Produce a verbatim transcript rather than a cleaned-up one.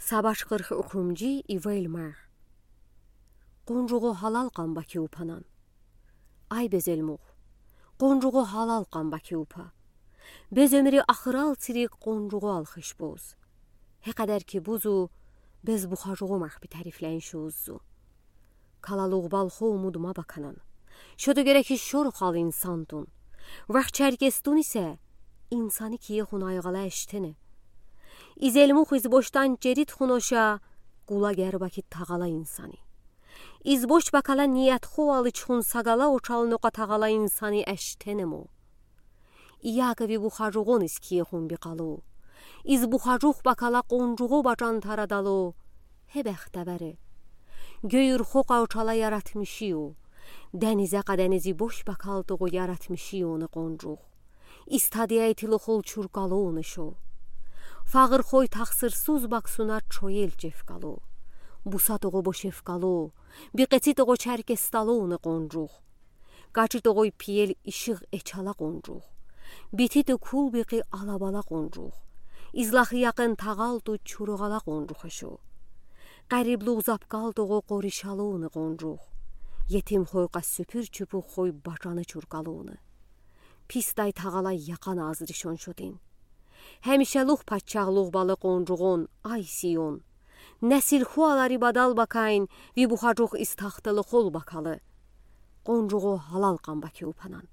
Сабаш къырх уьхымжи ивель марх. Къонжугъо гьалал къан баки упанан. Ай безелмух, къонжугъо гьалал къан баки упа. Без оьмюри ахырал цирик къонжугъо алхыш буз. Гье къадар ки бузу, без бухажугъу марх би тарифлейин шуз зу. Калалугъ балхо умуд ма баканан. Шоду герек шорхал инсандун. Вах черкесдун исе, инсани кие хун айгъала эштене. Изелмух избошдан жерид хун оша, гула гербаки тагъала инсани. Избош бакала ниятхо алыч хун сагала очал нока тагъала инсани эштене му. Ияков ви бухажугъун из кие хун би къалу. Из бухажух бакала къонжугъу бажан тарадалу. Гье бехтевери. Гёй урхо къа очала яратмиши ю. Денизе къа денизи бош бакалтугъу яратмиши ю ону къонжух. Истадияй тилухул чуркалу ону шу. Фагъыр хой тахсырсуз баксуна чоел чевкалу. Бусатугъу бошевкалу. Бикъецитугъу черкесталу ону къонжух. Качитугъуй пиел ишигъ эчала къонжух. Бититу кул бикъи алабала къонжух. Излахы якъын тагъалту чуругъала къонжух эшу. Къариблугъ запкалтугъу къоришалу ону къонжух. Етим хой къа суьпюр чупух хой бажаны чуркалу ону. Пис дай тагъала якъан азри шоншутин. Гьемишелух пачагълугъ балы къонжугъун, ай Сион. Несил хуалари бадал бакайн, ви бухажух из тахтылы хол бакалы. Къонжугъо гьалал къан баки упанан.